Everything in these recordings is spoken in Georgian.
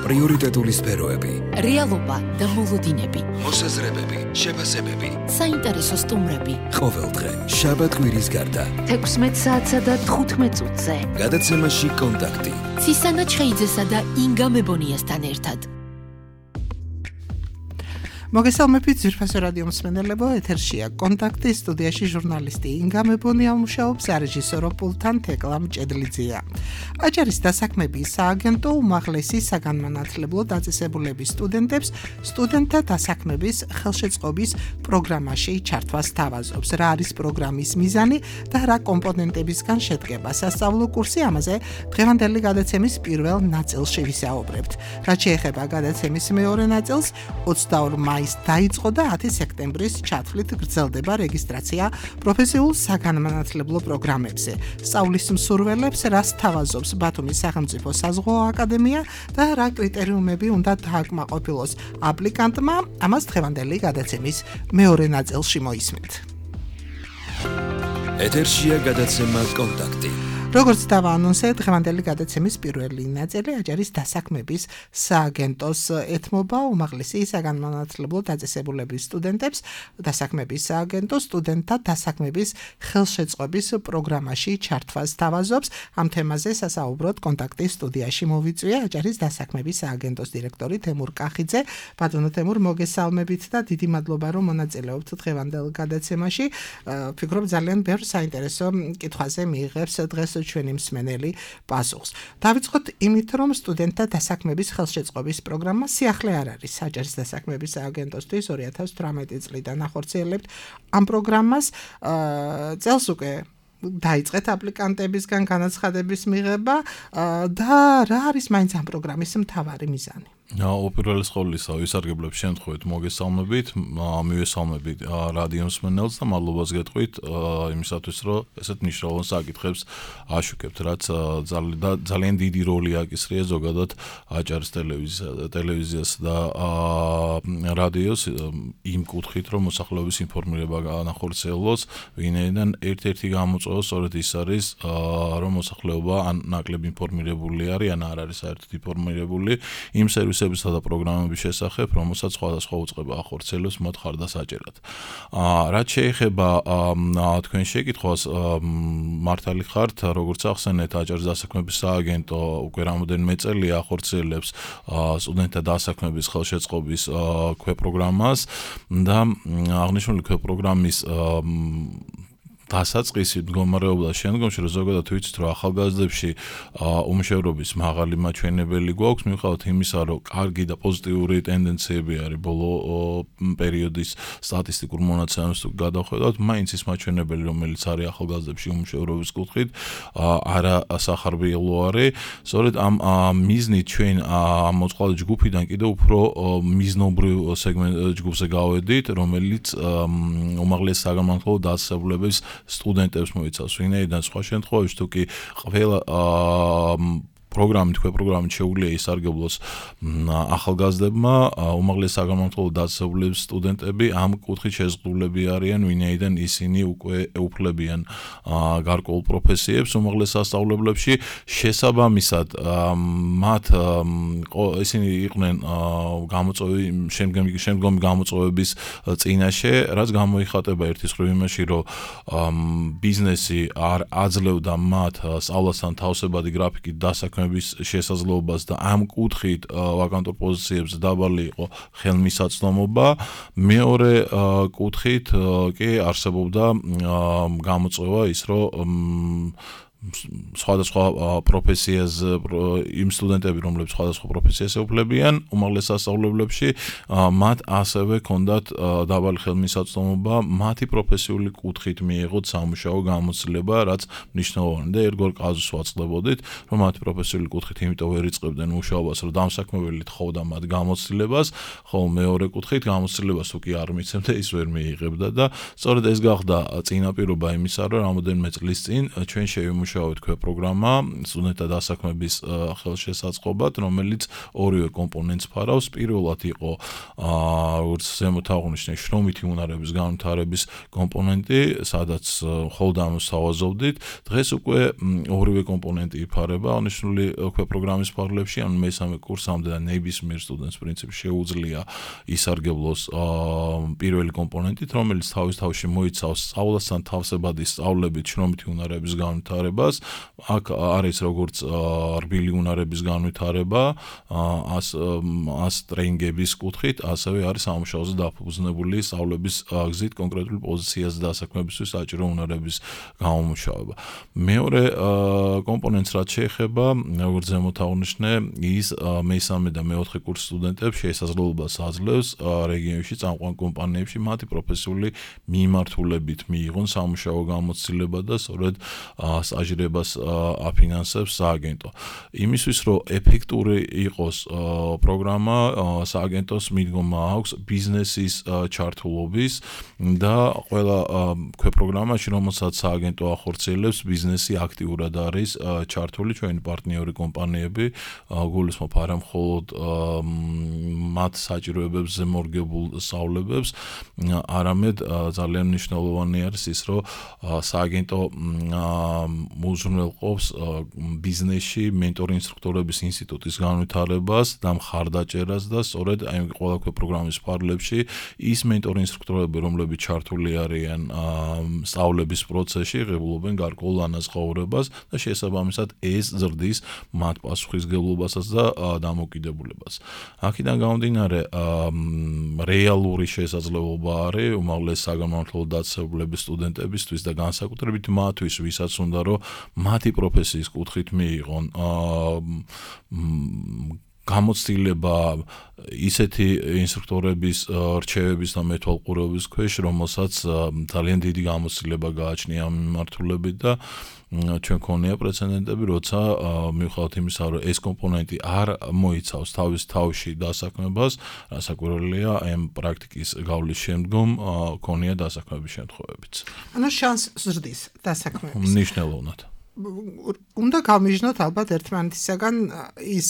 პრიორიტეტული სფეროები, რეალობა და მოლოდინები, მოსაზრებები, შეფასებები, საინტერესო სტუმრები. ყოველდღე, შაბათ-კვირის გარდა, 16 საათსა და 15 წუთზე. გადაცემაში კონტაქტი. ცისანა ჩხეიძესა და ინგა მებონიასთან ერთად. მოგესალმებით ძვირფასო რადიო მსმენელებო, ეთერშია კონტაქტი, სტუდიაში ჟურნალისტი ინგა მებონია მუშაობს, რეჟისორო პულტთან თეკლა მჭედლიძეა. აჭარის დასაქმების სააგენტო უმაღლესი საგანმანათლებლო დაწესებულების სტუდენტებს სტუდენტთა დასაქმების ხელშეწყობის პროგრამაში ჩართვას თავაზობს. რა არის პროგრამის მიზანი და რა კომპონენტებისგან შედგება სასწავლო კურსი, ამაზე დღევანდელი გადაცემის პირველ ნაწილში ვისაუბრებთ. რაც შეეხება გადაცემის მეორე ნაწილს, 22 მაისს დაიწყო და 10 სექტემბრის ჩათვლით გრძელდება რეგისტრაცია პროფესიულ საგანმანათლებლო პროგრამებზე. სწავლის მსურველებს რას თავაზობს ბათუმის სახელმწიფო საზღვაო აკადემია და რა კრიტერიუმები უნდა დააკმაყოფილოს აპლიკანტმა, ამას დღევანდელი გადაცემის მეორე ნაწილში მოისმენთ. ეთერშია გადაცემა კონტაქტი. როგორც დავაანონსე, დღევანდელი გადაცემის პირველი ნაწილი აჭარის დასაქმების სააგენტოს ეთმობა უმაღლესი საგანმანათლებლო დაწესებულების სტუდენტებს. დასაქმების სააგენტო სტუდენტთა დასაქმების ხელშეწყობის პროგრამაში ჩართვას თავაზობს. ამ თემაზე სასაუბროდ კონტაქტის სტუდიაში მოვიწვია აჭარის დასაქმების სააგენტოს დირექტორი თემურ კახიძე. ბატონო თემურ, მოგესალმებით და დიდი მადლობა, რომ მონაწილეობთ დღევანდელ გადაცემაში. ვფიქრობ ძალიან ბევრ საინტერესო კითხვაზე მიიღებს დღეს ჩვენი მსმენელი პასუხს. დავიწყოთ იმით, რომ სტუდენტთა დასაქმების ხელშეწყობის პროგრამა სიახლე არ არის. აჭარის დასაქმების სააგენტოსთვის 2018 წლიდან ახორციელებთ ამ პროგრამას. წელს უკვე დაიწყეთ აპლიკანტებისგან განაცხადების მიღება და რა არის მაინც ამ პროგრამის მთავარი მიზანი? უპირველეს ყოვლისა, ვისარგებლებ შემთხვევით მოგესალმებით, მივესალმებით რადიო მსმენელს და მადლობას გეტყვით იმისათვის, რომ ესეთ მნიშვნელოვან საკითხებს აშუქებთ, რაც ძალიან დიდი როლი აკისრია ზოგადად აჭარის ტელევიზიას და რადიოს იმ კუთხით, რომ მოსახლეობის ინფორმირება განახორციელოს, ვინაიდან ერთ-ერთი გამოწვევა სწორედ ის არის, რომ მოსახლეობა ან ნაკლებ ინფორმირებული არის, ან არ არის საერთოდ ინფორმირებული იმ სერვისებისა და პროგრამების შესახებ, რომელსაც სხვადასხვა უწყება ახორციელებს მათ ხარდასაჭერად. რაც შეეხება თქვენ შეკითხვას, მართალი ხართ, როგორც ახსენეთ, აჭარის დასაქმების სააგენტო უკვე რამოდენიმე წელია ახორციელებს სტუდენტთა დასაქმების ხელშეწყობის ქვეპროგრამას და აღნიშნული ქვეპროგრამის დასაწყისი მდგომარეობდა შემდგომში, რომ ზოგადად ვიცით, რომ ახალგაზრდებში უმშევრობის მაღალი მაჩვენებელი გვაქვს, მიუხედავად იმისა, რომ კარგი და პოზიტიური ტენდენციები არის ბოლო პერიოდის სტატისტიკურ მონაცემებს გადავხედავთ, მაინც ის მაჩვენებელი, რომელიც არის ახალგაზრდებში უმშევრობის კუთხით, არა სახარბიელო არის. სწორედ ამ მიზნით ჩვენ ამ მოწყვლადი ჯგუფიდან კიდევ უფრო მიზნობრივ ჯგუფზე გავედით, რომელიც უმაღლესი საგანმანათლებლო დაწესებულების სტუდენტებს მოიცავს, ვინაიდან სხვა შემთხვევაში თუ კი ყველა პროგრამით შეუძლია ისარგებლოს ახალგაზრდებმა, უმაღლესი საგანმანათლებლო დაწესებულების სტუდენტები ამ კუთხით შეზღუდულები არიან, ვინაიდან ისინი უკვე ეუფლებიან გარკვეულ პროფესიებს უმაღლეს სასწავლებლებში. შესაბამისად, მათ ისინი იყვნენ შემდგომი გამოწვევების წინაშე, რაც გამოიხატება ერთის მხრივ იმაში, რომ ბიზნესი არ აძლევდა მათ სწავლასთან თავსებადი გრაფიკით დასაქმების შესაძლებლობას და ამ კუთხით ვაკანტურ პოზიციებზე დაბალი იყო ხელმისაწვდომობა. მეორე კუთხით კი არსებობდა გამოწვევა ის, რომ სხვადასხვა პროფესიაზე იმ სტუდენტები, რომლებიც სხვადასხვა პროფესიას ეუფლებიან უმაღლეს სასწავლებლებში, მათ ასევე ჰქონდათ დაბალი ხელმისაწვდომობა მათი პროფესიული კუთხით მიიღოთ სამუშაო გამოცდილება, რაც მნიშვნელოვანია და ერთგვარ კაზუსს ვაწყდებოდით, რომ მათი პროფესიული კუთხით იმიტომ ვერ იწყებდნენ მუშაობას, რომ დამსაქმებელი თხოვდა მათ გამოცდილებას, ხოლო მეორე კუთხით გამოცდილებას თუ კი არ მიცემდა, ის ვერ მიიღებდა და სწორედ ეს გახდა წინაპირობა იმისა, რომ რამოდენიმე წლის წინ ჩვენ შევიმუშავეთ სამუშაო პროგრამა სტუდენტთა დასაქმების ხელშესაწყობად, რომელიც ორივე კომპონენტს ფარავს. პირველად იყო როგორც ზემოთ აღნიშნე შრომითი უნარების განვითარების კომპონენტი, სადაც მხოლოდ ამას თავაზობდით. დღეს უკვე ორივე კომპონენტი იფარება აღნიშნული პროგრამის ფარგლებში, ანუ მესამე კურსამდე და ნებისმიერ სტუდენტს პრინციპში შეუძლია ისარგებლოს პირველი კომპონენტით, რომელიც თავის თავში მოიცავს სწავლასთან თავსებადი სწავლებით შრომითი უნარების განვითარებას. აქ არის როგორც რბილი უნარების განვითარება, ტრეინინგების კუთხით, ასევე არის სამუშაოზე დაფუძნებული სწავლების გზით კონკრეტული პოზიციაზე დასაქმებისთვის საჭირო უნარების გამომუშავება. მეორე კომპონენტს რაც შეეხება, როგორც ზემოთ აღნიშნე, ის მესამე და მეოთხე კურსის სტუდენტებს შესაძლებლობას აძლევს რეგიონში წამყვან კომპანიებში მათი პროფესიული მიმართულებით მიიღონ სამუშაო გამოცდილება და სწორედ სტაჟირებას აფინანსებს სააგენტო. იმისთვის, რომ ეფექტური იყოს პროგრამა, სააგენტოს მიდგომა აქვს ბიზნესის ჩართულობის და ყველა პროგრამაში, რომელსაც სააგენტო ახორციელებს, ბიზნესი აქტიურად არის ჩართული, ჩვენი პარტნიორი კომპანიები, გულისხმობ არა მხოლოდ მათ საჭიროებებზე მორგებულ სწავლებებს, არამედ ძალიან მნიშვნელოვანი არის ის, რომ სააგენტო უზრუნველყოფს ბიზნესში მენტორ ინსტრუქტორების ინსტიტუტის განვითარებას და მხარდაჭერას და სწორედ აი ყველა პროგრამის ფარგლებში ის მენტორ ინსტრუქტორები, რომლებიც ჩართული არიან სწავლების პროცესში, ღებულობენ გარკვეულ ანაზღაურებას და შესაბამისად ეს ზრდის მათ პასუხისმგებლობასაც და დამოკიდებულებას. აქედან გამომდინარე, რეალური შესაძლებლობა არის უმაღლეს საგანმანათლებლო დაწესებულების სტუდენტებისთვის და განსაკუთრებით მათთვის, ვისაც უნდა რომ მათი პროფესიის კუთხით მიიღონ გამოცდილება ისეთი ინსტრუქტორების რჩევების და მეთვალყურეობის ქვეშ, რომელსაც ძალიან დიდი გამოცდილება გააჩნია ამ მიმართულებით და ჩვენ ქონია პრეცედენტები, როცა მიუხედავად იმისა, რომ ეს კომპონენტი არ მოიცავს თავის თავში დასაქმებას, რასაკვირველია, ამ პრაქტიკის გავლის შემდგომ ქონია დასაქმების შემთხვევებიც. ანუ შანსი ზრდის დასაქმების. მნიშვნელოვნად. უნდა გავმიჯნოთ ალბათ ერთმანეთისაგან ის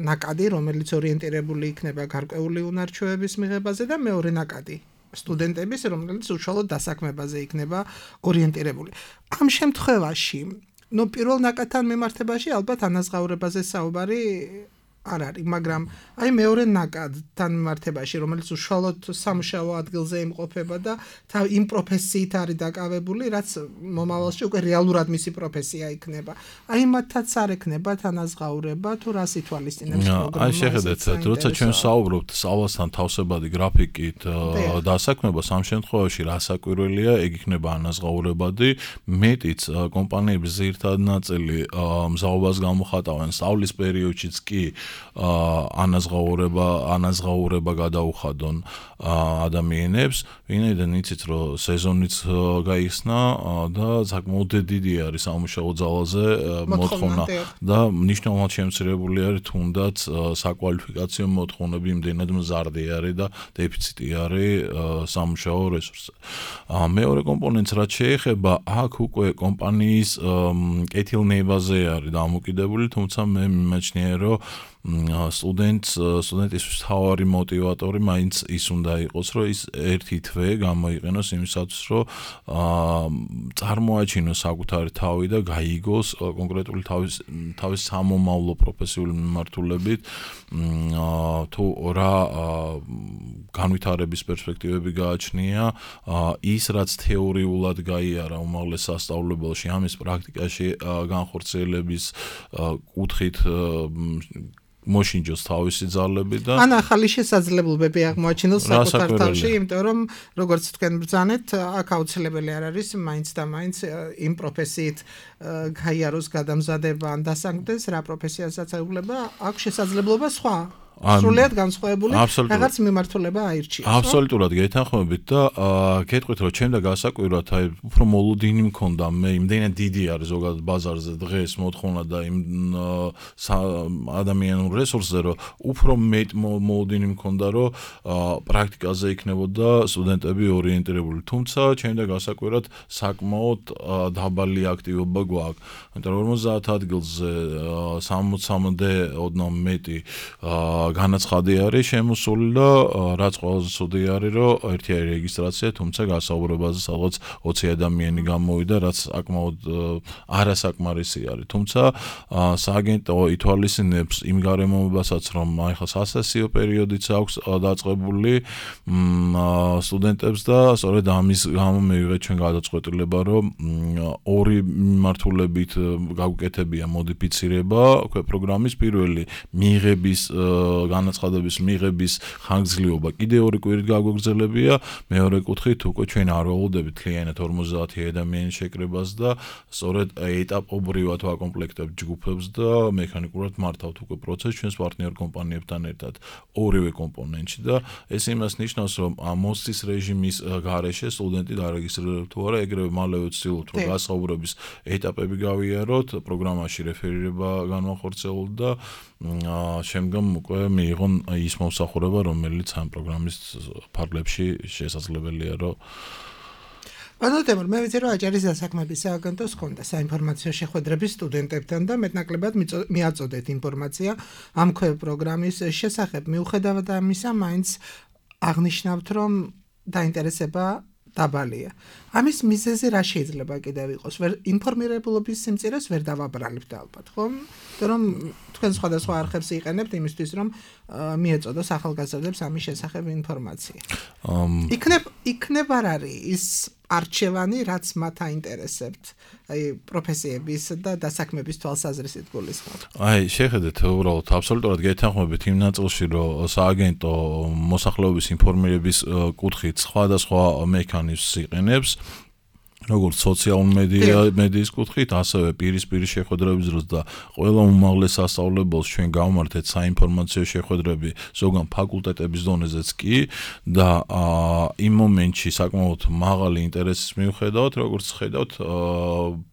ნაკადი, რომელიც ორიენტირებული იქნება გარკვეული უნარჩვევების მიღებაზე და მეორე ნაკადი სტუდენტების, რომელიც უშუალოდ დასაქმებაზე იქნება ორიენტირებული. ამ შემთხვევაში, პირველ ნაკადთან მიმართებაში ალბათ ანაზღაურებაზე საუბარი არ არის, მაგრამ აი მეორე ნაკადთან მიმართებაში, რომელიც უშუალოდ სამუშაო ადგილზე იმყოფება და იმ პროფესიით არის დაკავებული, რაც მომავალში უკვე რეალურად მისი პროფესია იქნება. აი მათაც არ ექნებათ ანაზღაურება თუ რას ითვალისწინებს პროგრამა. აი შეხედეთ, როცა ჩვენ საუბრობთ სწავლასთან თავსებადი გრაფიკით დასაქმებას, ამ შემთხვევაში რასაკვირველია, ეგ იქნება ანაზღაურებადი, მეტიც კომპანიების ძირითადი ნაწილი მზაობას გამოხატავენ სწავლის პერიოდშიც კი ანაზღაურება გადაუხადონ ადამიანებს, ვინაიდან იცით, რომ სეზონიც გაიხსნა და საკმაოდ დიდი არის სამუშაო ძალაზე მოთხოვნა და მნიშვნელოვნად შემცირებული არის თუნდაც საკვალიფიკაციო მოთხოვნები, იმდენად მზარდი არის და დეფიციტი არის სამუშაო რესურსზე. მეორე კომპონენტს რაც შეეხება, აქ უკვე კომპანიის კეთილნებაზე არის დამოკიდებული, თუმცა მე მიმაჩნია, რომ სტუდენტისთვის თავარი მოტივატორი მაინც ის უნდა იყოს, რომ ის ერთი თვე გამოიყენოს იმისათვის, რომ წარმოაჩინოს საკუთარი თავი და გაიგოს კონკრეტული თავის სამომავლო პროფესიული მიმართულებით, თუ რა განვითარების პერსპექტივები გააჩნია, ის რაც თეორიულად გაიარა უმაღლეს სასწავლებელში, ამის პრაქტიკაში განხორციელების კუთხით მოშინჯოს თავისი ძალები და ან ახალი შესაძლებლობები აღმოაჩინოს საკუთარ თავში, იმიტომ რომ როგორც თქვენ ბრძანეთ, აქ აუცილებელი არ არის მაინც და მაინც იმ პროფესიით გაიაროს გადამზადება ან დასაქმდეს, რა პროფესიასაც ეუბნება, აქვს შესაძლებლობა სხვა სრულიად განსხვავებული რაღაც მიმართულება აირჩიეს. აბსოლუტურად გეთანხმებით და გეტყვით რომ ჩემ და გასაკვირად აი უფრო მოლოდინი მქონდა მე იმდენად დიდი არის ზოგადად ბაზარზე დღეს მოთხოვნა და იმ ადამიანურ რესურსზე რომ უფრო მეტ მოლოდინი მქონდა რომ პრაქტიკაზე იქნებოდა სტუდენტები ორიენტირებული თუმცა ჩემ და გასაკვირად საკმაოდ დაბალი აქტივობა გვაქვს იმიტომ რომ 50 ადგილზე 60-მდე ოდნავ მეტი განაცხადი არის შემოსული და რაც ყველაზე ცუდი არის რომ ერთი არის რეგისტრაცია თუმცა გასაუბრებაზე სადღაც 20 ადამიანი გამოვიდა რაც საკმაოდ არასაკმარისი არის თუმცა სააგენტო ითვალისწინებს იმ გარემოებასაც რომ აი ხა სასესიო პერიოდიც აქვს დაწყებული სტუდენტებს და სწორედ ამის გამო მივიღეთ ჩვენ გადაწყვეტილება რომ ორი მიმართულებით გაუკეთებია მოდიფიცირება პროგრამის პირველი მიღების განაცხადების მიღების ხანგრძლივობა კიდე 2 კვირით გაგვეგრძელებია მეორე კუთხით უკვე ჩვენ არ ველოდებით კლიენტად 50 ადამიანის შეკრებას და სწორედ ეტაპობრივად ვაკომპლექტებთ ჯგუფებს და მექანიკურად მართავთ უკვე პროცესს ჩვენს პარტნიორ კომპანიებთან ერთად ორივე კომპონენტში და ეს იმას ნიშნავს რომ მოსწის რეჟიმის გარეშე სტუდენტი დარეგისტრირებთ თუ არა ეგრევე მალევე ვცდილობთ რომ გასაუბრების ეტაპები გავიაროთ პროგრამაში რეფერირება განვახორციელოთ და შემდგომ უკვე მიიღონ ის მომსახურება რომელიც ამ პროგრამის ფარგლებში შესაძლებელია რომ ბანოტემურ მე ვიცი რომ აჭარის დასაქმების სააგენტოს ჰქონდა საინფორმაციო შეხვედრები სტუდენტებთან და მეტნაკლებად მიაწოდეთ ინფორმაცია ამ პროგრამის შესახებ მიუხედავად ამისა მაინც აღნიშნავთ რომ დაინტერესება დაბალია. ამის მიზეზი რა შეიძლება კიდევ იყოს? ინფორმირებულობის სიმწირეს ვერ დავაბრალებთ ალბათ, ხო? რომ თქვენ სხვადასხვა არხებს იყენებთ იმისთვის, რომ მიეწოდოს ახალგაზრდებს ამის შესახებ ინფორმაცია. იქნებ არ არის ის არჩევანი, რაც მათ აინტერესებთ, აი პროფესიების და დასაქმების თვალსაზრისით გულისხმობ. აი, შეხედეთ, უბრალოდ აბსოლუტურად გეთანხმებით იმ ნაწილში, რომ სააგენტო მოსახლეობის ინფორმირების კუთხით სხვადასხვა მექანიზმს იყენებს. როგორც სოციალურ მედიის კუთხით, ასევე პირისპირი შეხვედრების დროს და ყველა უმაღლეს სასწავლებელს ჩვენ გავმართეთ საინფორმაციო შეხვედრები ზოგან ფაკულტეტების დონეზეც კი და იმ მომენტში საკმაოდ მაღალი ინტერესის მიუხედავად, როგორც ხედავთ,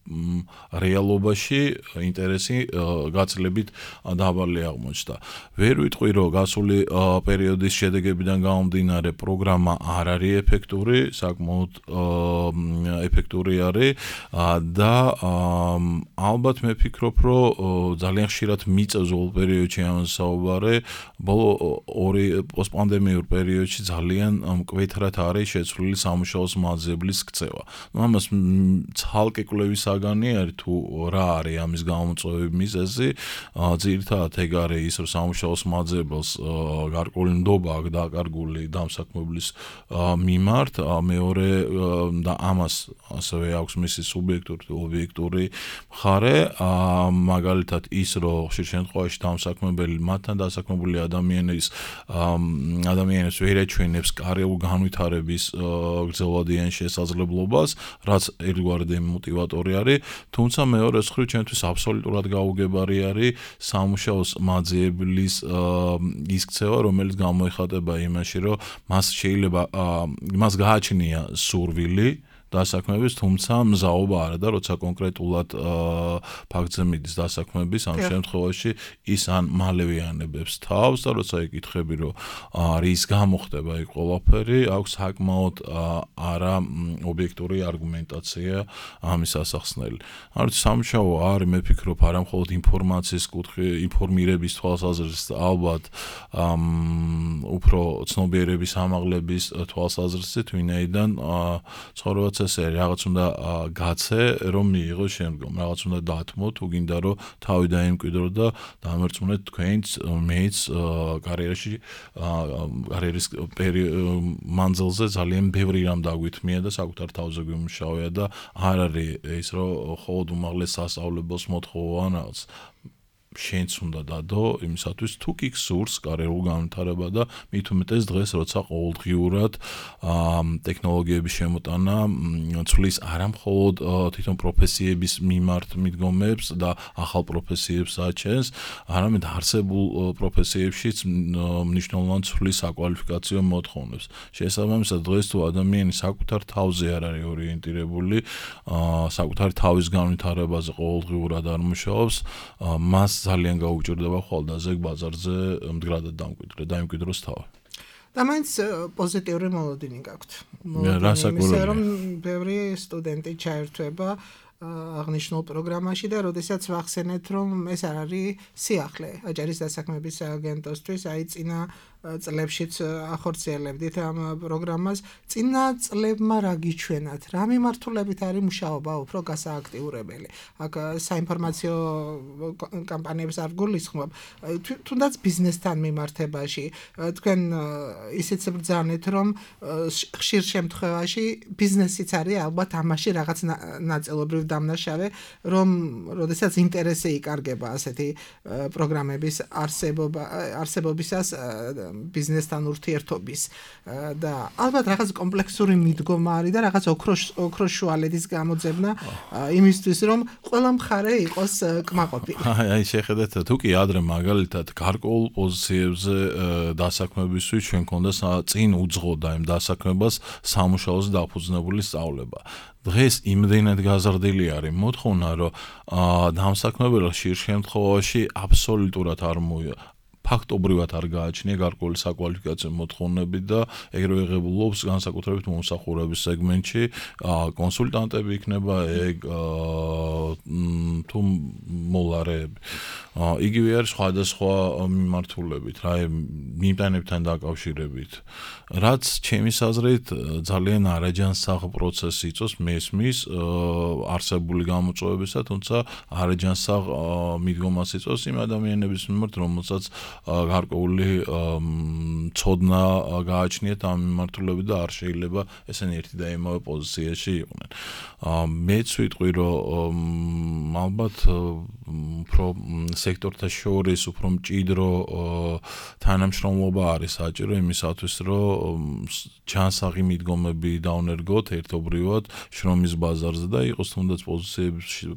რეალობაში ინტერესი გაცილებით დაბალი აღმოჩნდა. ვერ ვიტყვი, რომ გასული პერიოდის შედეგებიდან გამომდინარე პროგრამა არ არის ეფექტური, საკმაოდ ეფექტური არის და ალბათ მე ვფიქრობ, რომ ძალიან ხშირად მიწევს ბოლო პერიოდში ამაზე საუბარი, ბოლო ორი პოსტპანდემიურ პერიოდში ძალიან მკვეთრად არის შეცვლილი სამუშაოს მაძიებლის ქცევა. ამას ცალკე კვლევის საგანი არის თუ რა არის ამის გამოწვევი მიზეზი, ძირითადად ეგ არის ის, რომ სამუშაოს მაძიებელს გარკვეული ნდობა აქვს დაკარგული დამსაქმებლის მიმართ, მეორე და ამას ასევე აქვს მისი სუბიექტური ობიექტური მხარე, მაგალითად ის, რომ ხშირ შემთხვევაში დამსაქმებელი მათთან დასაქმებული ადამიანის ვერ ეჩვენებს კარიერულ განვითარების გრძელვადიან შესაძლებლობას, რაც ერთგვარი მოტივატორი არის, თუმცა მეორე მხრივ ჩვენთვის აბსოლუტურად გაუგებარი არის სამუშაოს მაძიებლის ის ქცევა, რომელიც გამოიხატება იმაში, რომ მას შეიძლება მას გააჩნია სურვილი დასაქმების, თუმცა მზაობა არა და როცა კონკრეტულად ფაქტზე მიდის დასაქმების, ამ შემთხვევაში ის ან მალევე ანებებს თავს და როცა იკითხები, რომ რის გამო ხდება იქ ყველაფერი, აქვს საკმაოდ არა ობიექტური არგუმენტაცია ამის ასახსნელი. ამიტომ სამუშაო არის, მე ვფიქრობ, არა მხოლოდ ინფორმაციის კუთხე, ინფორმირების თვალსაზრისით, ალბათ უფრო ცნობიერების ამაღლების თვალსაზრისით, ვინაიდან ცხოვრება ესე რაღაც უნდა გაცე რომ მიიღო შემდგომ რაღაც უნდა დათმო თუ გინდა რომ თავი დაიმკვიდრო და დამერწმუნეთ თქვენც მეც კარიერის მანძილზე ძალიან ბევრი რამ დაგვითმია და საკუთარ თავზე გვიმუშავია და არ არის ის რომ მხოლოდ უმაღლეს სასწავლებელს მოთხოვან რაღაც შენც უნდა დადო იმისათვის თუ კი გსურს კარიერულ განვითარება და მით უმეტეს დღეს როცა ყოველდღიურად ტექნოლოგიების შემოტანა ცვლის არა მხოლოდ თვითონ პროფესიების მიმართ მიდგომებს და ახალ პროფესიებს აჩენს, არამედ არსებულ პროფესიებშიც მნიშვნელოვან ცვლის საკვალიფიკაციო მოთხოვნებს. შესაბამისად დღეს თუ ადამიანი საკუთარ თავზე არ არის ორიენტირებული, საკუთარი თავის განვითარებაზე ყოველდღიურად არ მუშაობს, მას ძალიან გაუჭირდება ხვალდაზე ბაზარზე მდგრადად დაიმკვიდროს თავი. და მაინც პოზიტიური მოლოდინი გაქვთ. რასაკვირველია. რომ ბევრი სტუდენტი ჩაერთვება აღნიშნულ პროგრამაში და როდესაც ვახსენეთ, რომ ეს არ არის სიახლე აჯარის დასაქმების სააგენტოსთვის, აი წინა წლებშიც ახორციელებდით ამ პროგრამას, წინა წლებმა რა გიჩვენათ, რა მიმართულებით არის მუშაობა უფრო გასააქტიურებელი. აქ საინფორმაციო კამპანიებს არ გულისხმობ, თუნდაც ბიზნესთან მიმართებაში. თქვენ ისიც ბრძანეთ, რომ ხშირ შემთხვევაში ბიზნესიც არის ალბათ ამაში რაღაც ნაწილობრივ დამნაშავე, რომ როდესაც ინტერესი იკარგება ასეთი პროგრამების არსებობისას ბიზნესთან ურთიერთობის და ალბათ რაღაც კომპლექსური მიდგომა არის და რაღაც ოქროს შუალედის გამოძებნა იმისთვის, რომ ყველა მხარე იყოს კმაყოფილი. აი შეხედეთ, თუ კი ადრე მაგალითად გარკვეულ პოზიციებზე დასაქმებისთვის ჩვენ გქონდა წინ უძღოდა იმ დასაქმებას სამუშაოზე დაფუძნებული სწავლება. დღეს იმდენად გაზრდილი არის მოთხოვნა, რომ დამსაქმებელი ხშირ შემთხვევაში აბსოლუტურად არ ფაქტობრივად არ გააჩნია გარკვეული საკვალიფიკაციო მოთხოვნები და ეგრევე ღებულობს განსაკუთრებით მომსახურების სეგმენტში კონსულტანტები იქნება ეგ თუ მოლარეები. იგივე არის სხვადასხვა მიმართულებით, რა მიმტანებთან დაკავშირებით. რაც ჩემის აზრით ძალიან არაჯანსაღ პროცესი იწვევს მესმის არსებული გამოწვევებისა, თუმცა არაჯანსაღ მიდგომას იწვევს იმ ადამიანების მიმართ, რომელსაც გარკვეული ცოდნა გააჩნიათ ამ მიმართულებით და არ შეიძლება ესენი ერთი და იმავე პოზიციაში იყვნენ. მეც ვიტყვი, რომ ალბათ უფრო სექტორთა შორის უფრო მჭიდრო თანამშრომლობა არის საჭირო იმისათვის, რომ ჩანსაღი მიდგომები დავნერგოთ ერთობრივად შრომის ბაზარზე და იყოს თუნდაც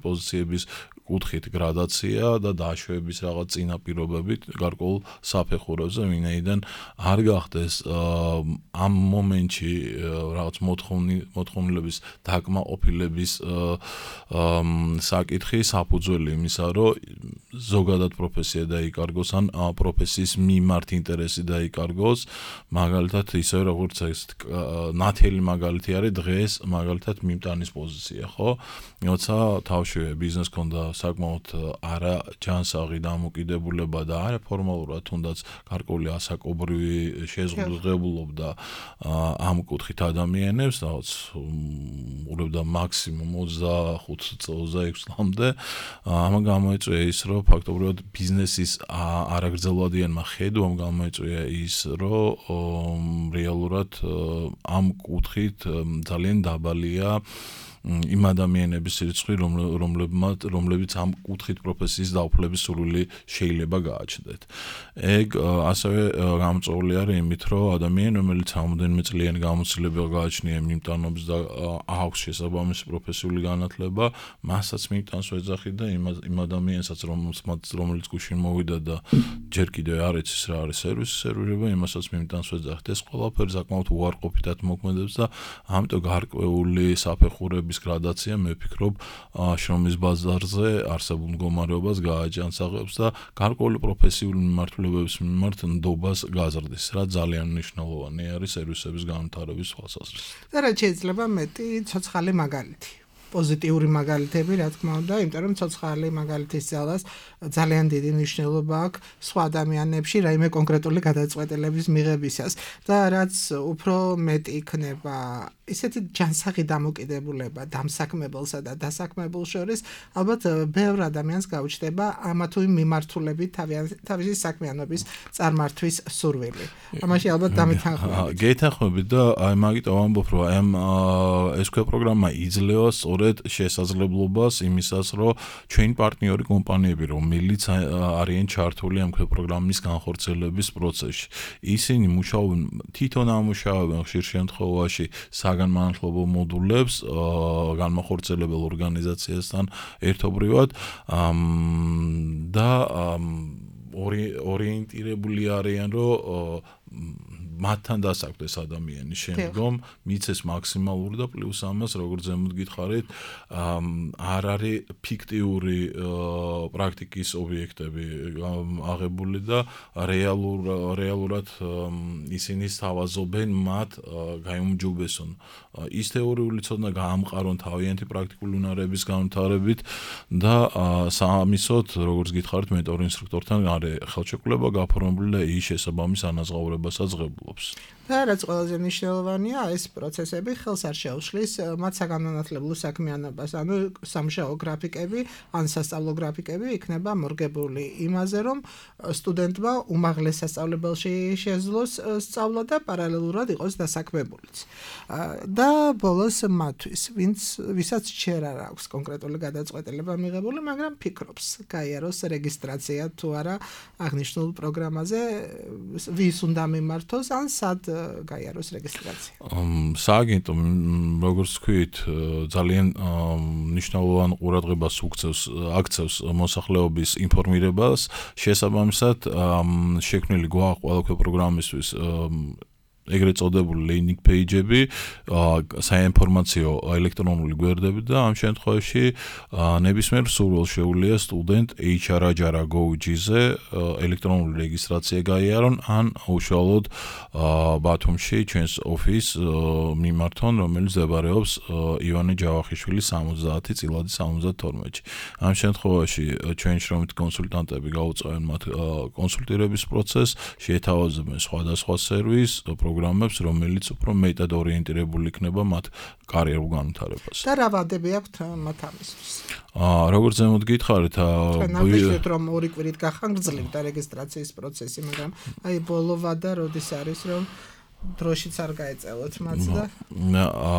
პოზიციების კუთხით გრადაცია და დაშვების რაღაც წინაპირობებით გარკვეულ საფეხურებზე, ვინაიდან არ გახდეს ამ მომენტში რაღაც მოთხოვნილების დაკმაყოფილების საკითხი საფუძველი იმისა, რომ ზოგადად პროფესია დაიკარგოს ან პროფესიის მიმართ ინტერესი დაიკარგოს, მაგალითად ისე როგორც ეს ნათელი მაგალითი არის დღეს მაგალითად მიმტანის პოზიცია, ხო? როცა თავშივე ბიზნეს ქონდა საკმაოდ არა ჯანსაღი დამოკიდებულება და არა ფორმალურად თუნდაც გარკვეული ასაკობრივი შეზღუდვებულობდა ამ კუთხით ადამიანებს, რაღაც უბრალოდ მაქსიმუმ 25-26 წლამდე, ამან გამოიწვია ის, რომ ფაქტობრივად ბიზნესის არაგრძელვადიანმა ხედვამ გამოიწვია ის, რომ რეალურად ამ კუთხით ძალიან დაბალია იმ ადამიანების რიცხვი, რომლებიც ამ კუთხით პროფესიის დაუფლების სურვილი შეიძლება გააჩნდეთ. ეგ ასევე გამოწვეული არის იმით, რომ ადამიანი, რომელიც რამოდენიმე წლიანი გამოცდილება გააჩნია მიმტანობის და აქვს შესაბამისი პროფესიული განათლება, მასაც მიმტანს ვეძახი და იმ ადამიანსაც, რომელიც გუშინ მოვიდა და ჯერ კიდევ არ იცის რა არის სერვისის სერვირება, იმასაც მიმტანს ვეძახი. ეს ყველაფერი საკმაოდ უარყოფითად მოქმედებს და ამიტომ გარკვეული საფეხურების გრადაცია მე ვფიქრობ შრომის ბაზარზე არსებულ მდგომარეობას გააჯანსაღებს და გარკვეული პროფესიული მიმართულებების მიმართ ნდობას გაზრდის, რა ძალიან მნიშვნელოვანი არის სერვისების განვითარების თვალსაზრისით. და რაც შეიძლება მეტი ცოცხალი მაგალითი. პოზიტიური მაგალითები, რა თქმა უნდა, იმიტომ რომ ცოცხალი მაგალითის ძალას ძალიან დიდი მნიშვნელობა აქვს სხვა ადამიანებში რაიმე კონკრეტული გადაწყვეტილების მიღებისას და რაც უფრო მეტი იქნება ისეთი ჯანსაღი დამოკიდებულება დამსაქმებელსა და დასაქმებულს შორის ალბათ ბევრ ადამიანს გაუჩნდება ამა თუ იმ მიმართულებით თავისი საქმიანობის წარმართვის სურვილი. ამაში ალბათ დამეთანხმებით. გეთანხმებით და აი მაგიტომ ვამბობ, რომ აი ეს პროგრამა იძლევა სწორედ შესაძლებლობას იმისას, რომ ჩვენი პარტნიორი კომპანიები, რომელიც არიან ჩართული ამ პროგრამის განხორციელების პროცესში, ისინი მუშაობენ თვითონ ამუშავებენ ხშირ შემთხვევაში საგანმანათლებლო მოდულებს განმახორციელებელ ორგანიზაციასთან ერთობრივად და ორიენტირებული არიან, რომ მათთან დასაქმდეს ადამიანი შემდგომ მიცეს მაქსიმალური და პლუს ამას როგორც ზემოთ გითხარით არ არის ფიქტიური პრაქტიკის ობიექტები აღებული და რეალურად ისინი სთავაზობენ მათ გაიმჯობესონ ის თეორიული ცოდნა გაამყარონ თავიანთი პრაქტიკული უნარების განვითარებით და სამისოთ როგორც გითხარით მენტორ ინსტრუქტორთან არის ხელშეკრულება გაფორმებული და ის შესაბამის ანაზღაურებასაც ღებულობს. და რაც ყველაზე მნიშვნელოვანია, ეს პროცესები ხელს არ შეუშლის მათ საგანმანათლებლო საქმიანობას, ანუ სამუშაო გრაფიკები, ან სასწავლო გრაფიკები იქნება მორგებული იმაზე, რომ სტუდენტმა უმაღლეს სასწავლებელში შეძლოს სწავლა და პარალელურად იყოს დასაქმებულიც. და ბოლოს მათთვის, ვისაც ჯერ არ აქვს კონკრეტული გადაწყვეტილება მიღებული, მაგრამ ფიქრობს, გაიაროს რეგისტრაცია თუ არა აღნიშნულ პროგრამაზე, ვის უნდა მიმართოს, ან სად გაიაროს რეგისტრაცია. სააგენტო, როგორც ვთქვით, ძალიან მნიშვნელოვან ყურადღებას აქცევს მოსახლეობის ინფორმირებას, შესაბამისად, შექმნილი გვაქვს ყველა პროგრამისთვის ეგრეთ წოდებული landing page-ები, საინფორმაციო ელექტრონული გვერდები და ამ შემთხვევაში ნებისმიერ სურვილს შეუძლია სტუდენტ hr.gov.gz-ზე ელექტრონული რეგისტრაცია გაიარონ ან უშუალოდ ბათუმში ჩვენს ოფისს მიმართონ, რომელიც მდებარეობს ივანე ჯავახიშვილის 70 წილადი 72-ში. ამ შემთხვევაში ჩვენი შრომითი კონსულტანტები გაუწევენ მათ კონსულტირების პროცესს, შეთავაზებენ სხვადასხვა სერვისს, პროგრამებს, რომელიც უფრო მეტად ორიენტირებული იქნება მათ კარიერულ განვითარებას. და რა ვადები აქვთ მათ ამისთვის? როგორც ზემოთ გითხარით, ნამდვილად რომ ორი კვირით გახანგრძლივდა რეგისტრაციის პროცესი, მაგრამ აი ბოლო ვადა როდის არის, რომ დროშიც არ გაეწევოთ მათ და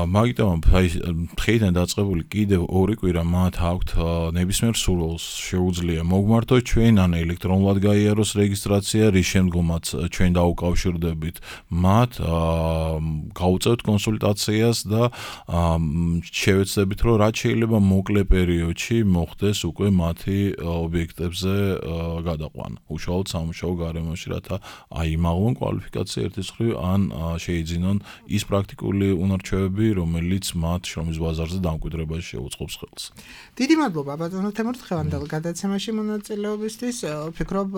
მაგიტომ აი დღეიდან დაწყებული კიდევ ორი კვირა მათ აქვთ ნებისმიერ სურვილს შეუძლია მოგმართოთ ჩვენ ან ელექტრონულად გაიაროს რეგისტრაცია, რის შემდგომაც ჩვენ დაუკავშირდებით მათ, გავუწევთ კონსულტაციას და შევეცდებით, რომ რაც შეიძლება მოკლე პერიოდში მოხდეს უკვე მათი ობიექტებზე გადაყვანა. უშუალოდ სამუშაო გარემოში, რათა აიმაღლონ კვალიფიკაცია ერთის მხრივ ან შეიძინონ ის პრაქტიკული უნარჩვევები, რომელიც მათ შრომის ბაზარზე დამკვიდრებაში შეუწყობს ხელს. დიდი მადლობა ბატონო თემურ დღევანდელ გადაცემაში მონაწილეობისთვის. ვფიქრობ,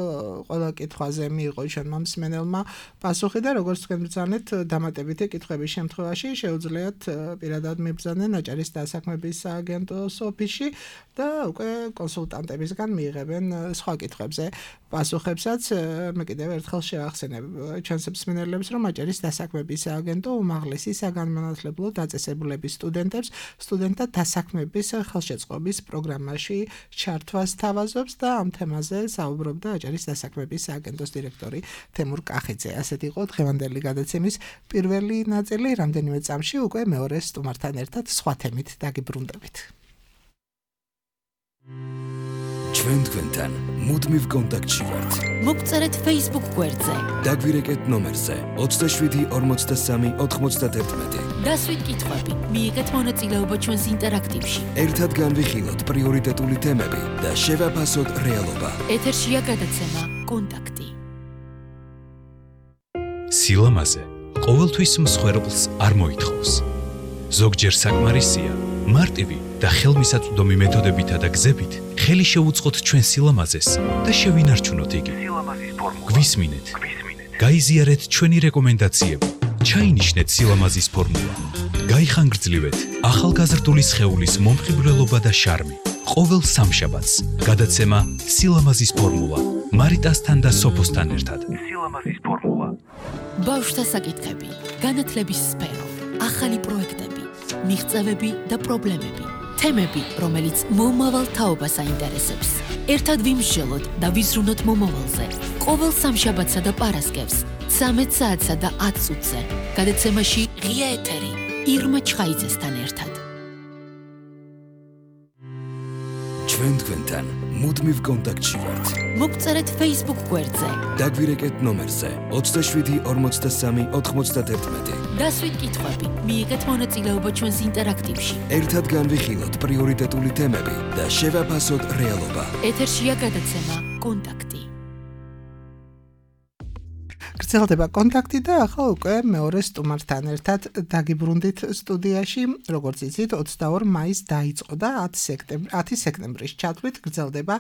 ყველა კითხვაზე მიიღო ჩვენმა მსმენელმა პასუხი და როგორც თქვენ ბრძანეთ, დამატებითი კითხვების შემთხვევაში შეუძლიათ პირადად მიბრძანენ აჭარის დასაქმების სააგენტოს ოფისში და უკვე კონსულტანტებისგან მიიღებენ სხვა კითხვებზე პასუხებსაც. მე კიდევ ერთხელ შევახსენებ ჩვენს მსმენელებს, რომ აჭარის დასაქმების სააგენტო უმაღლესი საგანმანათლებლო დაწესებულების სტუდენტთა დასაქმების ხელშეწყობის პროგრამაში ჩართვას თავაზობს და ამ თემაზე საუბრობდა აჭარის დასაქმების სააგენტოს დირექტორი თემურ კახიძე. ასეთ იყო დღევანდელი გადაცემის პირველი ნაწილი. რამდენიმე წამში უკვე მეორე სტუმართან ერთად სხვა თემით დაგიბრუნდებით. ჩვენ თქვენთან მუდმივ კონტაქტში ვართ. მოგწერეთ Facebook გვერდზე. დაგვირეკეთ ნომერზე 27 43 91. დასვით კითხვები, მიიღეთ მონაწილეობა ჩვენს ინტერაქტივში. ერთად განვიხილოთ პრიორიტეტული თემები და შევაფასოთ რეალობა. ეთერშია გადაცემა კონტაქტი. სილამაზე ყოველთვის მსხვერპლს არ მოითხოვს. ზოგჯერ საკმარისია მარტივი და ხელმისაწვდომი მეთოდებითა და გზებით ხელი შეუწყოთ ჩვენ სილამაზეს და შევინარჩუნოთ იგი. გვისმინეთ. გაიზიარეთ ჩვენი რეკომენდაციები. ჩაინიშნეთ სილამაზის ფორმულა. გაიხანგრძლივეთ ახალგაზრდული სხეულის მომხიბვლელობა და შარმი. ყოველ სამშაბათს გადაცემა სილამაზის ფორმულა. მარიტასთან და სოფოსთან ერთად. სილამაზის ფორმულა. ბავშვთა საკითხები, განათლების სფერო, ახალი პროექტები, მიღწევები და პრობლემები. თემები, რომელიც მომავალ თაობას აინტერესებს. ერთად ვიმსჯელოთ და ვიზრუნოთ მომავალზე. ყოველ სამშაბათსა და პარასკევს, 13 საათსა და 10 წუთზე. გადაცემაში ღია ეთერი, ირმა ჩხაიძესთან ერთად. ჩვენ თქვენთან მუდმივ კონტაქტში ვართ. მოგწერეთ Facebook გვერდზე. დაგვირეკეთ ნომერზე 27 43 91. დასვით კითხვები, მიიღეთ მონაწილეობა ჩვენს ინტერაქტივში. ერთად განვიხილოთ პრიორიტეტული თემები და შევაფასოთ რეალობა. ეთერშია გადაცემა კონტაქტი. გრძელდება კონტაქტი და ახლა უკვე მეორე სტუმართან ერთად დაგიბრუნდით სტუდიაში, როგორც იცით, 22 მაისს დაიწყო და 10 სექტემბრის ჩათვლით გრძელდება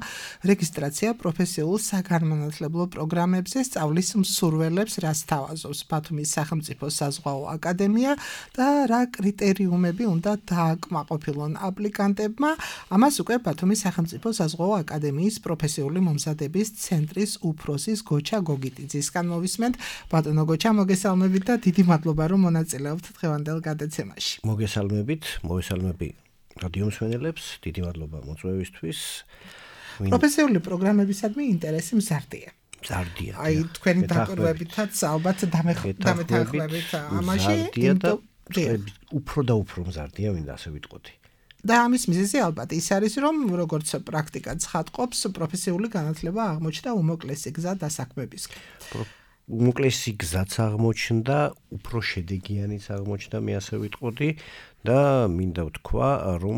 რეგისტრაცია პროფესიულ საგანმანათლებლო პროგრამებზე სწავლის მსურველებს, რაც თავაზობს ბათუმის სახელმწიფო საზღვაო აკადემია და რა კრიტერიუმები უნდა დააკმაყოფილონ აპლიკანტებმა. ამას უკვე ბათუმის სახელმწიფო საზღვაო აკადემიის პროფესიული მომზადების ცენტრის უფროსის გოჩა გოგიტიძისგან მოვისმენთ. ბატონო გოჩა, მოგესალმებით და დიდი მადლობა, რომ მონაწილეობთ დღევანდელ გადაცემაში. მოგესალმები რადიო მსმენელებს, დიდი მადლობა მოწვევისთვის. პროფესიული პროგრამებისადმი ინტერესი მზარდია. აი, თქვენი დაკვირვებითაც ალბათ დამეთანხმებით ამაში, უფრო და უფრო მზარდია, მინდა ასე ვიტყოდი. და ამის მიზეზი ალბათ ის არის, რომ როგორც პრაქტიკა ცხადყოფს, პროფესიული განათლება აღმოჩნდა უმოკლესი გზა დასაქმებისკენ. უმოკლესი გზაც აღმოჩნდა, უფრო შედეგიანიც აღმოჩნდა, მე ასე ვიტყოდი და მინდა ვთქვა, რომ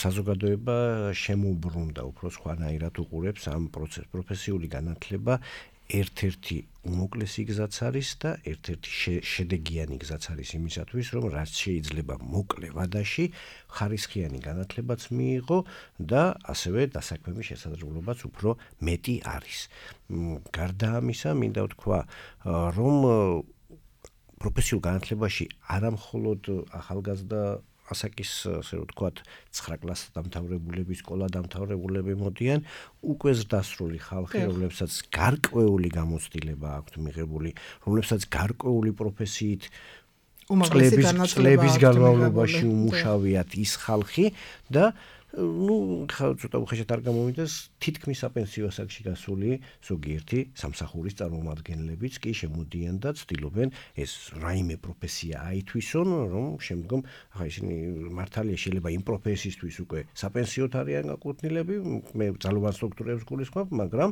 საზოგადოება შემოუბრუნდა უფრო სხვანაირად უყურებს ამ პროცესს. პროფესიული განათლება ერთ-ერთი უმოკლესი გზაც არის და ერთ-ერთი შედეგიანი გზაც არის იმისათვის, რომ რაც შეიძლება მოკლე ვადაში ხარისხიანი განათლებაც მიიღო და ასევე დასაქმების შესაძლებლობაც უფრო მეტი არის. გარდა ამისა, მინდა ვთქვა, რომ პროფესიულ განათლებაში არა მხოლოდ ახალგაზრდა ასაკის, ასე ვთქვათ, 9 კლასის დამთავრებულები, სკოლა დამთავრებულები მოდიან, უკვე ზრდასრული ხალხი, რომლებსაც გარკვეული გამოცდილება აქვთ მიღებული, რომლებსაც გარკვეული პროფესიით წლების განმავლობაში უმუშავიათ ის ხალხი და ცოტა უხეშად არ გამომიდეს, თითქმის საპენსიო ასაკში გასული ზოგიერთი სამსახურის წარმომადგენლებიც კი შემოდიან და ცდილობენ ეს რაიმე პროფესია აითვისონ, რომ შემდგომ ისინი მართალია შეიძლება იმ პროფესიისთვის უკვე საპენსიოდ არიან გაკუთვნილები, მე ძალოვან სტრუქტურებს გულისხმობ, მაგრამ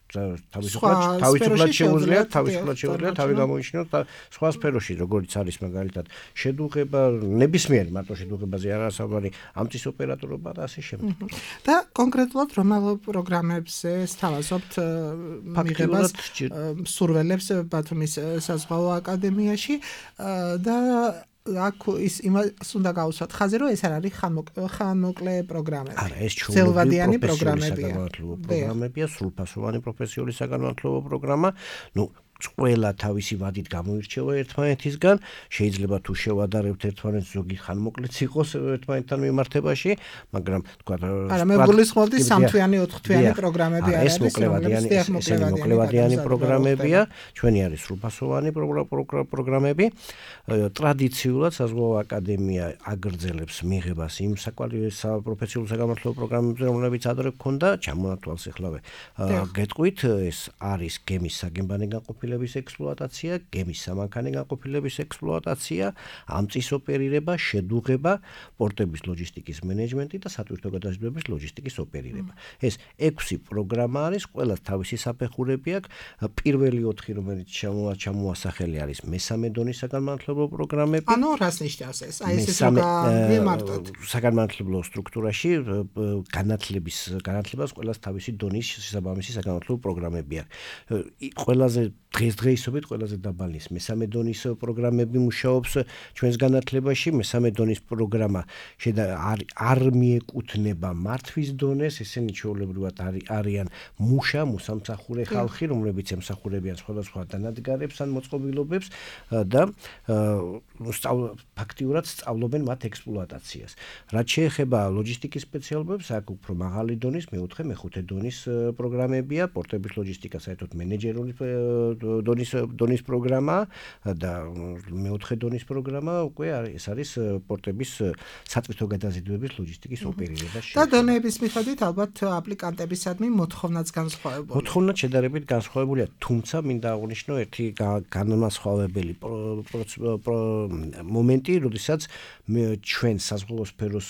თავისუფლად შეუძლიათ თავი გამოიჩინოთ და სხვა სფეროში, როგორც არის მაგალითად შედუღება, ნებისმიერი მარტო შედუღებაზე არა საუბარი, ამწის ოპერატორობა და ასე შემდეგ. და კონკრეტულად რომელ პროგრამებზე სთავაზობთ მიღებას მსურველებს ბათუმის საზღვაო აკადემიაში და აქ იმას უნდა გავუსვათ ხაზი, რომ ეს არ არის ხანმოკლე პროგრამები. არა, ეს ჩვეულებრივი პროგრამებია, სრულფასოვანი პროფესიული საგანმანათლებლო პროგრამა. ყველა თავისი ვადით გამოირჩევა ერთმანეთისგან, შეიძლება თუ შევადარებთ ერთმანეთს, ზოგი ხანმოკლეც იყოს ერთმანეთთან მიმართებაში, მაგრამ თქვა არა, მე გულისხმობდი 3-თვიანი, 4-თვიანი პროგრამები არ არის, მოკლევადიანი პროგრამებია, ჩვენი არის სრულფასოვანი პროგრამები. ტრადიციულად საზღვაო აკადემია აგრძელებს მიღებას იმ პროფესიულ საგანმანათლებლო პროგრამებზე, რომლებიც ადრე გქონდა, ჩამონათვალს ეხლავე. გეტყვით, ეს არის გემის საგემბანი განყოფილების ექსპლუატაცია, გემის სამანქანე განყოფილების ექსპლუატაცია, ამწის ოპერირება, შედუღება, პორტების ლოჯისტიკის მენეჯმენტი და სატვირთო გადაზიდვების ლოჯისტიკის ოპერირება. ეს 6 პროგრამა არის, ყველას თავისი საფეხურები აქვს. პირველი 4, რომელიც ჩამოასახელი არის მესამე დონის საგანმანათლებლო პროგრამები. ანუ რას ნიშნავს ეს? აი ეს გამარტოთ. საგანმანათლებლო სტრუქტურაში განათლებას ყველას თავისი დონის შესაბამისი საგანმანათლებლო პროგრამები აქვს. ყველაზე დღესდღეობით ყველაზე დაბალი მესამე დონის პროგრამები მუშაობს ჩვენს განათლებაში. მესამე დონის პროგრამა არ მიეკუთვნება მართვის დონეს, ესენი ჩვეულებრივად არიან მოსამსახურე ხალხი, რომლებიც ემსახურებიან სხვადასხვა დანადგარებს ან მოწყობილობებს და ფაქტიურად სწავლობენ მათ ექსპლუატაციას. რაც შეეხება ლოჯისტიკის სპეციალობებს, აქ უფრო მაღალი დონის, მე-4, მე-5 დონის პროგრამებია, პორტების ლოჯისტიკა, საერთოდ მენეჯერული დონის პროგრამა და მეოთხე დონის პროგრამა უკვე ეს არის პორტების საწვითო გადაზიდვების ლოჯისტიკის ოპერირება. და დონეების მიხედვით ალბათ აპლიკანტებისადმი მოთხოვნაც განსხვავებულია. მოთხოვნაც შედარებით განსხვავებულია, თუმცა მინდა აღვნიშნო ერთი განმასხვავებელი მომენტი, როდესაც ჩვენ საზღვაო სფეროს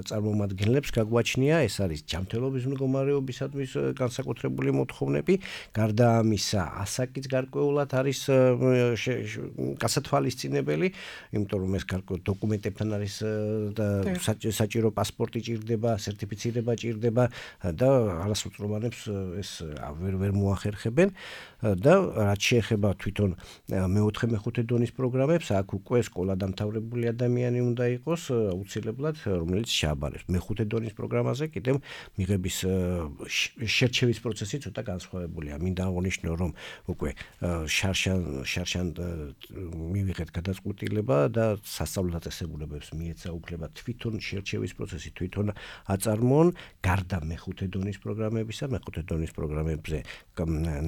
წარმომადგენლებს გაგვაჩნია, ეს არის ჯანმრთელობის მდგომარეობისადმი განსაკუთრებული მოთხოვნები, გარდა ამისა, ასაკიც გარკვეულად არის გასათვალისწინებელი, იმიტომ რომ ეს დოკუმენტებთან არის საჭირო პასპორტი ჭირდება, სერტიფიცირება ჭირდება და არასრულწლოვანებს ეს ვერ მოახერხებენ და რაც შეეხება თვითონ მეოთხე მეხუთე დონის პროგრამებს, აქ უკვე სკოლა დამთავრებული ადამიანი უნდა იყოს აუცილებლად, რომელიც შეაბარებს. მეხუთე დონის პროგრამაზე კიდევ მიღების შერჩევის პროცესი ცოტა განსხვავებულია. მინდა აღვნიშნო, რომ უკვე შარშან მივიღეთ გადაწყვეტილება და სასწავლო დაწესებულებებს მიეცა უფლება თვითონ შერჩევის პროცესი თვითონ აწარმოონ, გარდა მეხუთე დონის პროგრამებისა, მეხუთე დონის პროგრამებზე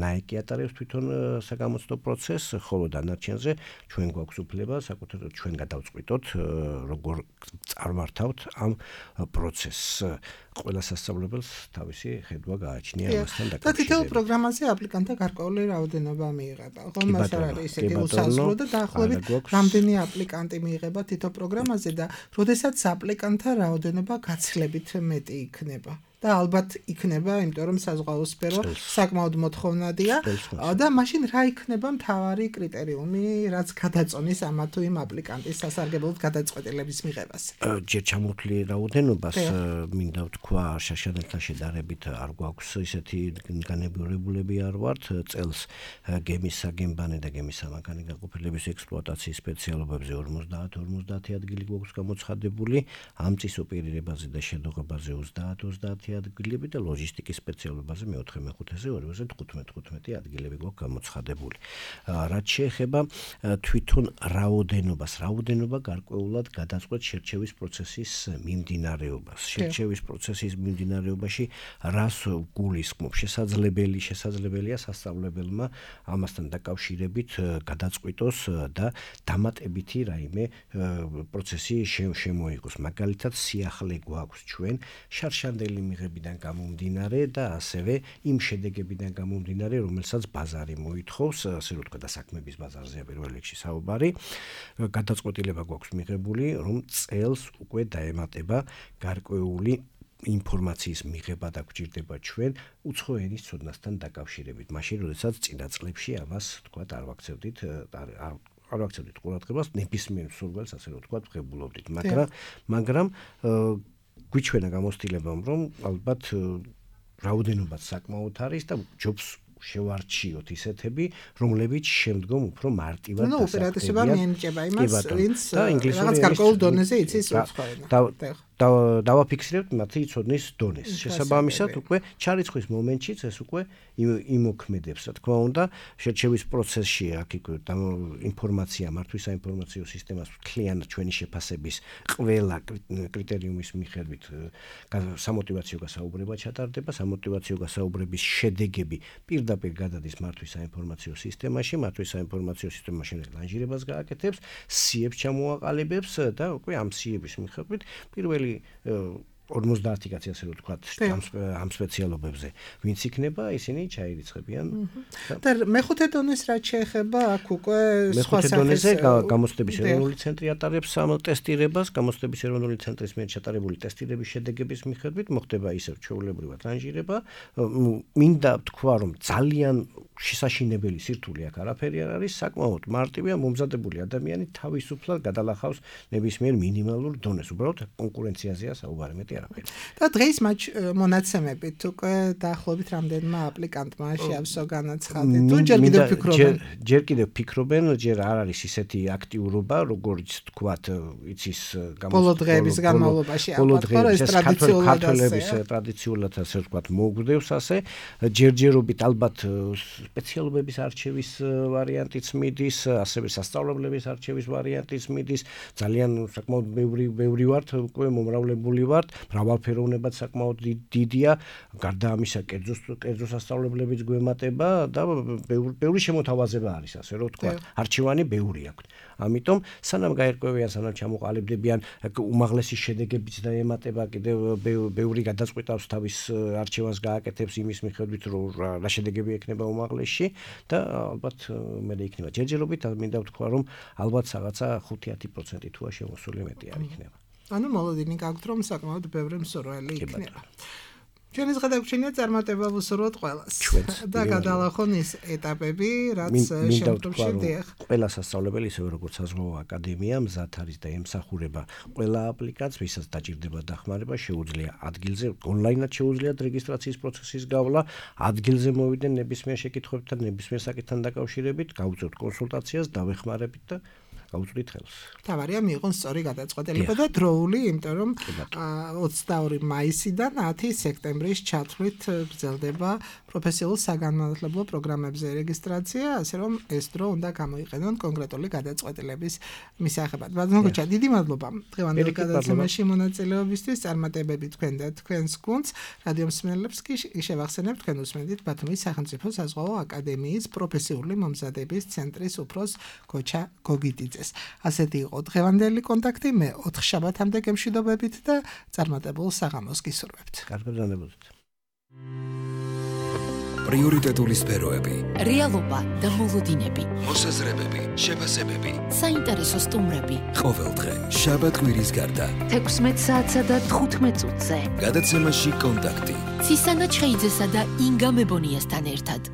ნაიკი ატარებს თვითონ საგამოცდო პროცესს, ხოლო დანარჩენზე ჩვენ გვაქვს უფლება საკუთარ ჩვენ გადავწყვიტოთ, როგორ წარმართავთ ამ პროცესს. ყველა სასწავლებელს თავისი ხედვა გააჩნია ამასთან დაკავშირებით. და თითოეულ პროგრამაზე აპლიკანტთა გარკვეული რაოდენობა მიიღება. ხომ მას არ არის ისეთი უსაზღვრო და დაახლოებით რამდენი აპლიკანტი მიიღება თითო პროგრამაზე და როდესაც აპლიკანტთა რაოდენობა გაცილებით მეტი იქნება. და ალბათ იქნება, იმიტომ რომ საზღვაო სფერო საკმაოდ მოთხოვნადია და მაშინ რა იქნება მთავარი კრიტერიუმი, რაც გადაწონის ამა თუ იმ აპლიკანტის სასარგებლოდ გადაწყვეტილების მიღებას. ჯერ ჩამოთვლილი რაოდენობას მინდა ვთქვა, შაშანელთან შედარებით არ გვაქვს ისეთი განებიურებულები არ ვართ, წელს გემის საგემბანე და გემის სამანქანე გაყოფილების ექსპლუატაციის სპეციალობებზე 50 ადგილი გვაქვს გამოცხადებული, ამ წის ოპერირებაზე და შედოღებაზე 30 ადგილები და ლოჯისტიკის სპეციალობაზე მეოთხე მეხუთეზე 15 ადგილები გვაქვს გამოცხადებული. რაც შეეხება თვითონ რაოდენობა გარკვეულად გადაწყვეტ შერჩევის პროცესის მიმდინარეობას. შერჩევის პროცესის მიმდინარეობაში რას გულისხმობს? შესაძლებელია სასწავლებელმა ამასთან დაკავშირებით გადაწყვიტოს და დამატებითი რაიმე პროცესი შემოიღოს. მაგალითად, სიახლე გვაქვს ჩვენ შარშანდელი მიღებიდან გამომდინარე და ასევე იმ შედეგებიდან გამომდინარე, რომელსაც ბაზარი მოითხოვს, ასე რომ თქვა და საქმების ბაზარზეა პირველ რიგში საუბარი. გადაწყვეტილება გვაქვს მიღებული, რომ წელს უკვე დაემატება გარკვეული ინფორმაციის მიღება და გვჭირდება ჩვენ უცხო ენის ცოდნასთან დაკავშირებით. მაშინ, როდესაც წინა წლებში ამას თქვა არ ვაქცევდით ყურადღებას ნებისმიერ მსურველს, ასე რომ თქვა ვღებულობდით. მაგრამ გვიჩვენა გამოცდილებამ, რომ ალბათ რაოდენობაც საკმაოდ არის და ჯობს შევარჩიოთ ისეთები, რომლებიც შემდგომ უფრო მარტივად დასახლებიან. ოპერატივობა მიენიჭება იმას, ვინც რაღაც გარკვეულ დონეზე იცის უცხოენა. დავაფიქსირებთ მათი ცოდნის დონეს. შესაბამისად, უკვე ჩარიცხვის მომენტშიც ეს უკვე იმოქმედებს, რა თქმა უნდა, შერჩევის პროცესში აქ ინფორმაცია, მართვის საინფორმაციო სისტემას მთლიანად ჩვენი შეფასების ყველა კრიტერიუმის მიხედვით სამოტივაციო გასაუბრება ჩატარდება, სამოტივაციო გასაუბრების შედეგები პირდაპირ გადადის მართვის საინფორმაციო სისტემაში, მართვის საინფორმაციო სისტემა ლანჟირებას გააკეთებს, სიებს ჩამოაყალიბებს და უკვე ამ სიების მიხედვით პირველი 50 კაცი ასე რომ თქვა ამ სპეციალობებზე ვინც იქნება ისინი ჩაირიცხებიან და მეხუთე დონეს რაც შეეხება აქ უკვე მეხუთე დონეზე გამოცდების ეროვნული ცენტრი ატარებს ამ ტესტირებას გამოცდების ეროვნული ცენტრის მიერ ჩატარებული ტესტირების შედეგების მიხედვით მოხდება ისევ ჩვეულებრივად ლანჟირება მინდა ვთქვა რომ ძალიან შესაშინებელი სირთულე აქ არაფერი არ არის საკმაოდ მარტივია მომზადებული ადამიანი თავისუფლად გადალახავს ნებისმიერ მინიმალურ დონეს უბრალოდ კონკურენციაზეა საუბარი მეტი არაფერი და დღეს მონაცემებით უკვე დაახლოებით რამდენმა აპლიკანტმა შეავსო განაცხადი თუ ჯერ კიდევ ფიქრობენ ჯერ არ არის ისეთი აქტიურობა როგორც თქვათ იცის ბოლო დღეების განმავლობაში ქართველების ტრადიციულად ასე ვთქვათ მოგვდევს ასე ჯერჯერობით ალბათ სპეციალობების არჩევის ვარიანტიც მიდის, ასევე სასწავლებლების არჩევის ვარიანტიც მიდის. ძალიან საკმაოდ ბევრი ვართ, უკვე მომრავლებული ვართ, მრავალფეროვნებად საკმაოდ დიდია. გარდა ამისა, კერძო სასწავლებლებიც გვემატება და ბევრი შემოთავაზება არის, ასე რომ ვთქვა. არჩევანი ბევრი აქვს. ამიტომ სანამ გაერკვევიან, სანამ ჩამოყალიბდებიან, უმაღლესი შედეგებიც დაემატება, კიდევ ბევრი გადაწყვეტავს თავის არჩევანს გააკეთებს იმის მიხედვით, რომ რა შედეგები ექნება უმაღლესში და ალბათ მე იქნება ჯერჯერობით, მინდა ვთქვა, რომ ალბათ რაღაცა 5-10% თუ შემოსული მეტი არ იქნება. ანუ მოლოდინი გაქვთ, რომ საკმაოდ ბევრი მსურველი იქნება. ჩვენის გადაგვრჩენია წარმატება ვუსურვოთ ყველას და გადალახონ ის ეტაპები, რაც შემდგომში დიახ. ყველა სასწავლებელი, ისევე როგორც საზღვაო აკადემია, მზად არის და ემსახურება ყველა აპლიკაციას, ვისაც დაჭირდება დახმარება, შეუძლია ადგილზე, ონლაინად შეუძლიათ რეგისტრაციის პროცესის გავლა, ადგილზე მოვიდნენ ნებისმიერ შეკითხვებთან, ნებისმიერ საკითხთან დაკავშირებით, გავუწევთ კონსულტაციას, დავეხმარებით და გავუწვდით ხელს. თავარია მიიღონ სწორი გადაწყვეტილება და დროული, იმიტომ რომ 22 მაისიდან 10 სექტემბრის ჩათვლით გრძელდება პროფესიულ საგანმანათლებლო პროგრამებზე რეგისტრაცია, ასე რომ ეს დრო უნდა გამოიყენონ კონკრეტული გადაწყვეტილების მისაღებად. ბატონო, დიდი მადლობა დღევანდელ გადაცემაში მონაწილეობისთვის, წარმატებები თქვენ და თქვენს გუნდს. რადიო მსმენელებს კი შევახსენებთ, თქვენ უსმენთ ბათუმის სახელმწიფო საზღვაო აკადემიის პროფესიული მომზადების ცენტრის უფროს გოჩა გოგიტიძეს. ასეთი იყო დღევანდელი კონტაქტი, მე 4 შაბათამდე გემშვიდობებით და წარმატებულ საღამოს გისურვებთ. კარგად გრძნობთ. პრიორიტეტული სფეროები, რეალობა და მოლოდინები, მოსაზრებები, შეფასებები, საინტერესო სტუმრები. ყოველდღე შაბათ-კვირის გარდა 16 საათსა და 15 წუთზე. გადაცემაში კონტაქტი. ცისანა ჩხეიძესა და ინგა მებონიასთან ერთად.